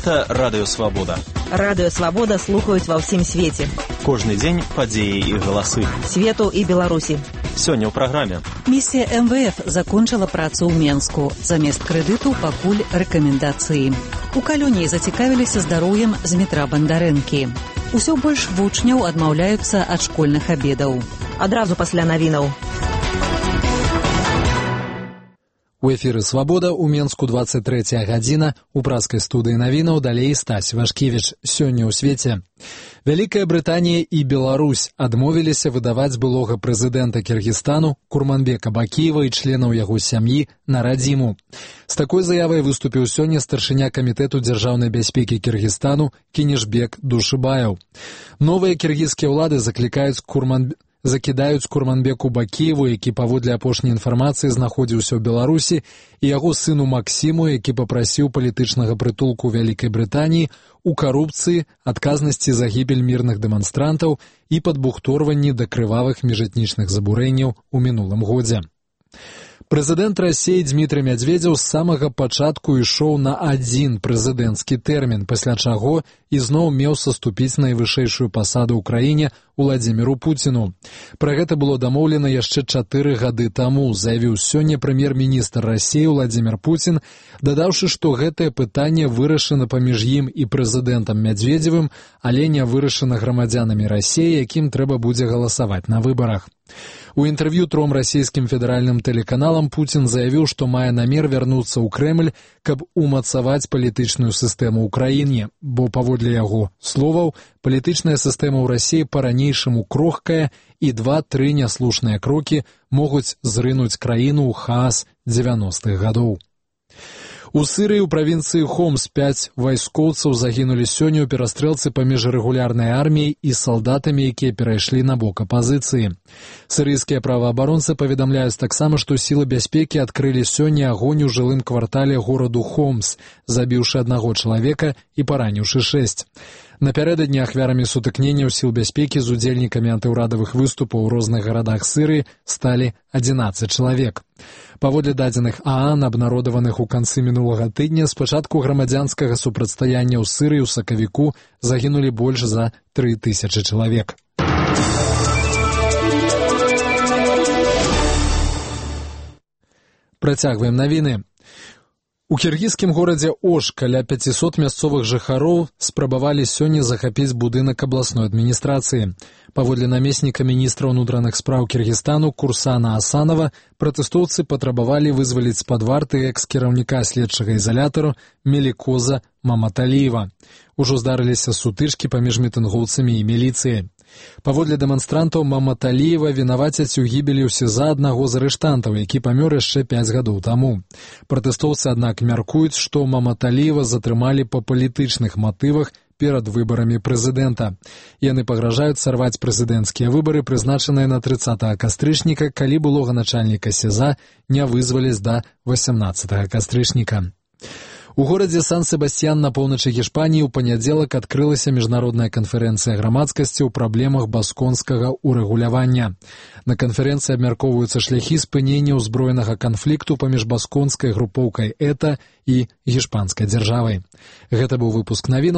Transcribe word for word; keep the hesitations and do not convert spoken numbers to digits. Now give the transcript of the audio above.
Гэта Радыё Свабода. Радыё Свабода слухаюць ва ўсім свеце. Кожны дзень падзеі і галасы. Свету і Беларусі. Сёння ў праграме. Місія эм вэ эф закончыла працу ў Менску. Замест крэдыту пакуль рэкамендацыі. У калоніі зацікавіліся здароўем з метра Бандарэнкі. Усё больш вучняў адмаўляюцца ад школьных абедаў. Адразу пасля навінаў. У эфіры «Свабода» у Менску двадцать третья гадзіна, у праскай студыі навінаў далей Стась Вашкевіч. Сёння ў свеце. Вялікая Брытанія і Беларусь адмовіліся выдаваць былога прэзідэнта Кіргізстану Курманбека Бакіева і членаў яго сям'і на радзіму. З такой заявай выступіў сёння старшыня камітэту дзяржаўнай бяспекі Кіргізстану Кенішбек Душыбаеў. Новыя кіргізскія ўлады заклікаюць Курманбека закідаюць Курманбеку Бакіеву, які паводле апошняй інфармацыі знаходзіўся ў Беларусі, і яго сыну Максіму, які папрасіў палітычнага прытулку ў Вялікай Брытаніі, у карупцыі, адказнасці за гібель мірных дэманстрантаў і падбухторванні да крывавых міжэтнічных забурэнняў у мінулым годзе. Прэзідэнт Расіі Дзмітрый Мядзведзеў з самага пачатку ішоў на адзін прэзідэнцкі тэрмін, пасля чаго ізноў меў саступіць найвышэйшую пасаду ў краіне Уладзіміру Пуціну. Пра гэта было дамоўлена яшчэ чатыры гады таму, заявіў сёння прэм'ер-міністр Расіі Уладзімір Пуцін, дадаўшы, што гэтае пытанне вырашана паміж ім і прэзідэнтам Мядзведзевым, але не вырашана грамадзянамі Расіі, якім трэба будзе галасаваць на выбарах. У інтэрв'ю тром расійскім федэральным тэлеканалам Пуцін заявіў, што мае намер вярнуцца ў Крэмль, каб умацаваць палітычную сістэму ў краіне, бо, паводле яго словаў, палітычная сістэма ў Расіі па-ранейшаму крохкая, і два-тры няслушныя крокі могуць зрынуць краіну ў хаос дзевяностых гадоў. У Сірыі ў правінцыі Хомс пяць вайскоўцаў загінулі сёння ў перастрэлцы паміж рэгулярнай арміяй і салдатамі, якія перайшлі на бок апазіцыі. Сірыйскія праваабаронцы паведамляюць таксама, што сілы бяспекі адкрылі сёння агонь у жылым квартале гораду Хомс, забіўшы аднаго чалавека і параніўшы шэсць. Напярэдадні ахвярамі сутыкненняў сіл бяспекі з удзельнікамі антыўрадавых выступаў у розных гарадах Сірыі сталі адзінаццаць чалавек. Паводле дадзеных ААН, абнародаваных у канцы мінулага тыдня, з пачатку грамадзянскага супрацьстаяння ў Сірыі ў сакавіку загінулі больш за тры тысячы чалавек. Працягваем навіны. У кіргізскім горадзе Ош каля пяцісот мясцовых жыхароў спрабавалі сёння захапіць будынак абласной адміністрацыі. Паводле намесніка міністра ўнутраных спраў Кіргізстану Курсана Асанова, пратэстоўцы патрабавалі вызваліць з-пад варты экс-кіраўніка следчага ізалятару Мелікоза Маматаліева. Ужо здарыліся сутычкі паміж мітынгоўцамі і міліцыяй. Паводле дэманстрантаў Маматаліева вінавацяць у гібелі ў СІЗА аднаго з арыштантаў, які памёр яшчэ пяць гадоў таму. Пратэстоўцы, аднак, мяркуюць, што Маматаліева затрымалі па палітычных матывах перад выбарамі прэзідэнта. Яны пагражаюць сарваць прэзідэнцкія выбары, прызначаныя на трыццатага кастрычніка, калі былога начальніка СІЗА не вызваляць да васямнаццатага кастрычніка. У горадзе Сан-Себастьян на поўначы Гішпаніі ў панядзелак адкрылася міжнародная канферэнцыя грамадскасці ў праблемах басконскага ўрэгулявання. На канферэнцыі абмяркоўваюцца шляхі спынення ўзброенага канфлікту паміж басконскай групоўкай ЭТА і гішпанскай дзяржавай. Гэта быў выпуск навінаў.